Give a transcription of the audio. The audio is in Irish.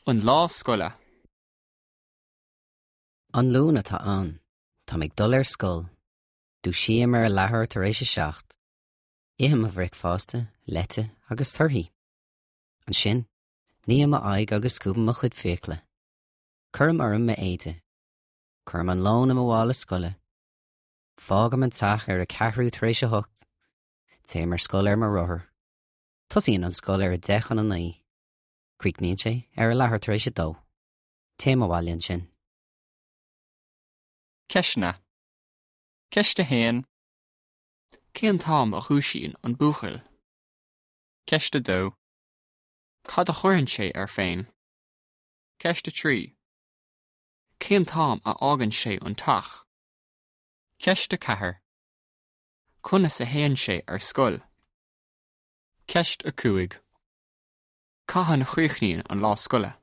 An lá scoile. An Luan atá ann. Táim ag dul ar scoil. Dúisím ar a leathuair tar éis a 7. Ithim mo bhricfeasta, leite agus torthaí. Ansin, ním m'aghaidh agus scuabaim mo chuid fiacla. Cuirim orm m'éide. Cuirim an lón i mo mhála scoile. Fágaim an teach ar a ceathrú tar éis a hocht. Téim ar scoil ar mo rothar. Tosaíonn an scoil ar a 8:50. Críochnaíonn sé ar a leathuair tar éis a dó. Téim abhaile ansin. Ceisteanna. Ceist 1. Cén t-am a dhúisíonn an buachaill? Ceist 2. Cad a chuireann sé air féin? Ceist 3. Cén t-am a fhágann sé an teach? Ceist 4. Conas a théann sé ar scoil? Ceist 5. Cathain a chríochnaíonn an lá scoile?